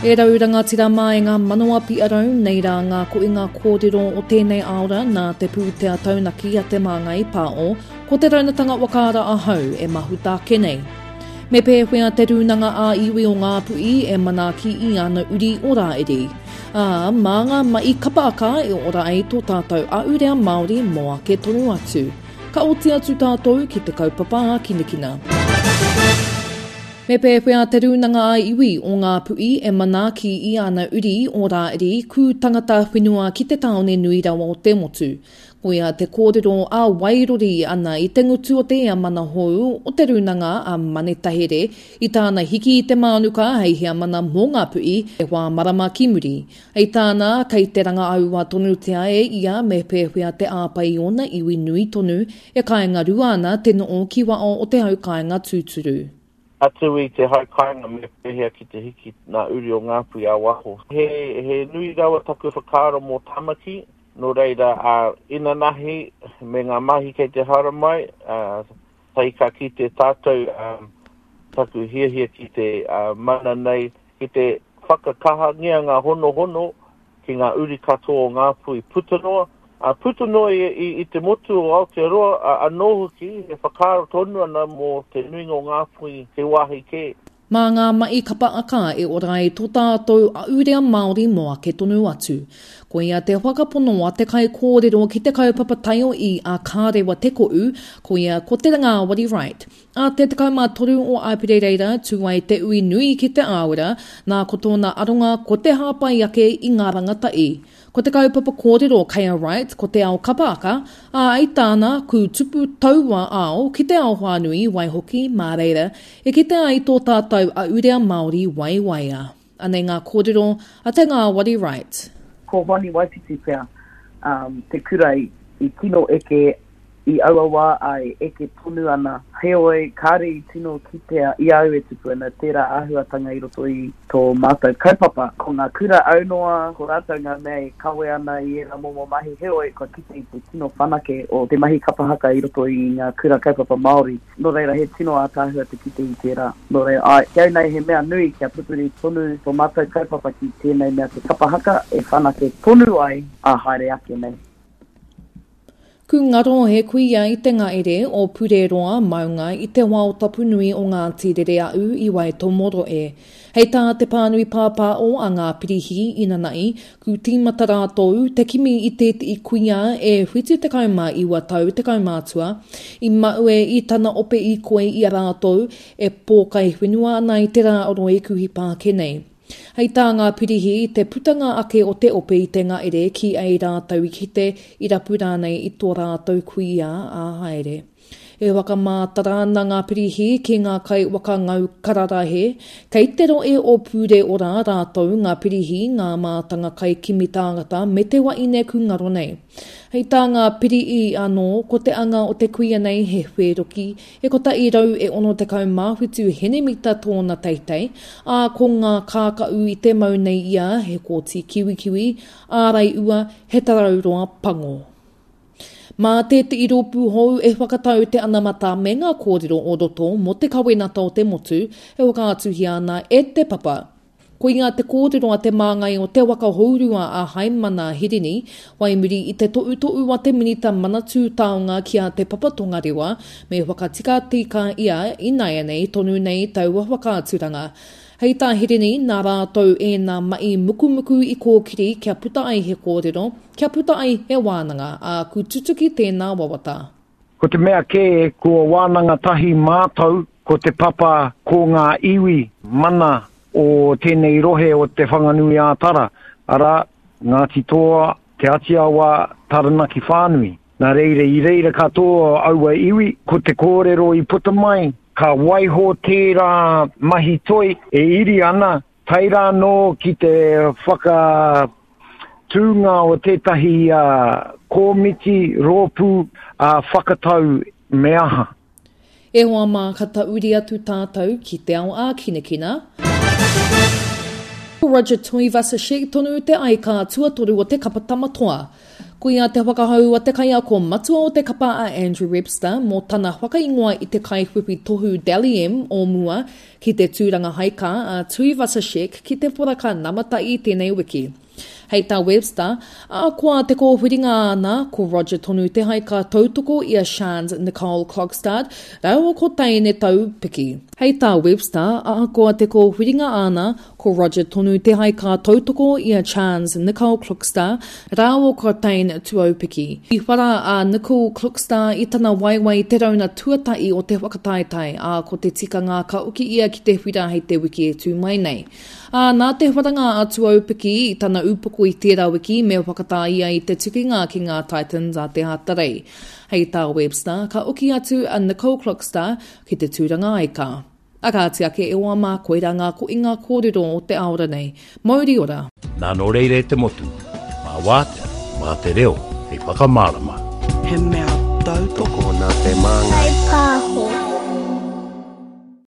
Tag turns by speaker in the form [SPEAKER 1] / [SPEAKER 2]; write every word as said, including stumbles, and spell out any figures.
[SPEAKER 1] E rau rangatira mā e ngā manawa piarau, nei rā ngā koinga kōrero o tēnei aora nā te pūtea taunaki a Te Māngai Pāo, ko te raunatanga wakaara ahau e mahuta ake nei. Me pēwhea te rūnanga ā-iwi o Ngāpuhi e manaaki i ana uri o Rāiri. Ā, mā ngā mahi kapaaka e ora ai tō tātou ahurea Māori mō ake tonu atu. Ka oti atu tātou ki te kaupapa ākinakina. Me pēwhea te rūnanga ā-iwi o Ngāpuhi e manaaki i ana uri o Rāiri kū tangata whenua ki te tāone nui rawa o te motu. Koia te kōrero a Wairori ana i te ngutu o te ea mana hou o te rūnanga a Manetahere i tāna hiki i te mānuka hei heamana mō Ngāpuhi e whā marama ki muri. Hei tāna, kei te rangaaua tonutia e ia me pēwhea te āpai i ōna iwi nui tonu e kāinga rua ana te noo ki wao o te hau kāinga tūturu.
[SPEAKER 2] Atu i te hau kāinga me pēhea ki te hiki nā uri o Ngāpuhi a waho. He, he nui rawa taku whakaaro mō Tamaki, nō reira a inanahi me ngā mahi kei te haere mai, uh, tahi ka kite tātou um, taku hiahia ki te uh, mana nei, ki te whakakahangia ngā honohono ki ngā uri katoa o Ngāpuhi puta noa. Uh, puta noa i, i, i te motu o Aotearoa, uh, anō hoki, e whakaaro tonu ana mō te nuinga o Ngāpuhi te wāhi kē.
[SPEAKER 1] Mā ngā mahi kapa aka e ora ai tō tātou ahurea Māori mō ake tonu atu. Koia te whakapono a te kaikōrero ki te kaupapa taiohi a Kārewa Te Ko'u, koia ko Te Ngāwari Wright. A te tekau mā toru o Āperira tū ai te ui nui ki te āura, nā ko tōna aronga ko te hāpai ake i ngā rangatahi. Ko te kaupapa kōrero kei a Wright ko te ao kapa aka, ā i tāna kū tupu taua ao ki te ao whānui waihoki mā reira e kite ai tō tātou ahurea Māori waiwaia. Anei ngā kōrero a Te Ngāwari Wright.
[SPEAKER 3] Ko Hoani Waititi pea um, te kura i, i tino eke i aua wā a e eke tonu ana. Heoi, kāre i tino kitea i au e tupu ana tērā āhuatanga i roto i tō mātou kaupapa. Ko ngā kura aunoa, ko rātou ngā mea e kawe ana i ērā momo mahi. Heoi, kua kite i te tino whanake o te mahi kapa haka i roto i ngā kura kaupapa Māori. Nō reira, he tino ātaahua te kite i tērā. Nō reira, ai, ki au nei he mea nui kia pupuri tonu tō mātou kaupapa ki tēnei mea te kapa haka e whanake tonu ai a haere ake nei.
[SPEAKER 1] Ku ngaro he kuia i te ngaere o Pureroa maunga i te wao tapu nui o Ngāti Rereaū i Waitomoro e. Hei tā te pānui pāpāo a ngā pirihi inanahi, ku tīmata rātou te kimi i tētehi kuia e whitu tekau mā iwa tau tekau mātua, i maue i tana ope i koe i a rātou e pōkai whenua ana i te rā o Roi Kuhi Pāke nei. Hei tā ngā pirihi, te putanga ake o te ope i te ngaere ki ei rātou i kite i rapu rānei i tō rātou kuia a haere. E whakamātara ana ngā pirihi ki ngā kai wakangau kararahe, kei te roe o Pūre ora rātou ngā pirihi ngā mātanga kai kimi tāngata me te waine kūngaro nei. Hei tā ngā pirihi anō, ko te anga o te kuia nei he whēroki, e kotahi rau e ono tekau mā whitu henemita tōna teitei, ā ko ngā kākau i te mau nei ia he kōti kiwikiwi, ārai ua, he tarauroa pango. Mā tētehi rōpū hou e whakatau te anamata me ngā kōrero o roto mō te kawenata o te motu e whakaatuhia ana e te papa. Koia te kōrero a te māngai o te waka hourua a Haimana Hirini, waimuri i te to'uto'u a te minita Manatū Taonga ki a Te Papa Tongarewa, me whakatika tika ia i nāianei tonu nei taua whakaaturanga. Hei tā Hirini, nā rātou ēnā mahi mukumuku i kōkiri kia puta ai he kōrero, kia puta ai he wānanga, ā ku tutuki tēnā wawata.
[SPEAKER 4] Ko te mea kē, kua wānanga tahi mātou, ko te papa ko ngā iwi mana o tēnei rohe o te Whanganui ā-Tara, arā, Ngāti Toa, Te Atiawa, Taranaki whānui. Nā reira, i reira katoa aua iwi, ko te kōrero i puta mai, ka waiho tērā mahi toi e iri ana, tae rā nō ki te whakatūnga o tētahi uh, kōmiti, rōpū, uh, whakatau me aha.
[SPEAKER 1] E hoa mā ka tauri atu tātou ki te ao ākinakina. Roger Tuivasa-Sheck tonu te aika tuatoru o te kapa tamatoa. Koia te whakahau a te kaiako matua o te kapa a Andrew Webster mō tana whakaingoa i te kaiwhiwhi tohu Dally M o mua ki te tūranga haika a Tuivasa-Sheck ki te poraka namata'i tēnei wiki. Hei tā Webster, ahakoa te kōwhiringa āna, ko Roger tonu te haika tautoko i a Shans Nicole Klokstad rāua ko Teine Taupiki. Hei tā Webster, ahakoa te kōwhiringa āna, ko Roger tonu te haika tautoko i a Chans Nicole Klokstad rāua ko Teine Tuaupiki. I whara a Nicole Klokstad i tana waewae i te rauna tuatahi o te whakataetae, ā, ko te tikanga ka oki ia ki te whira hei te wiki e tū mai nei. Ā, nā te wharanga a Tuaupiki i tana upoko i tērā wiki me whakatā ia i te tukinga ki ngā Titans a te Hatarei. Hei tā Webster, ka oki atu a Nicole Klokstad ki te tūranga aika. A kāti ake e oa mā, koirā ngā koinga kōrero o te aora nei. Mauri ora!
[SPEAKER 5] Nā nō reira e te motu, mā wātea, mā te reo, hei whakamārama.
[SPEAKER 6] He mea tautoko
[SPEAKER 7] Tokona te māngai.
[SPEAKER 8] Whai pāho.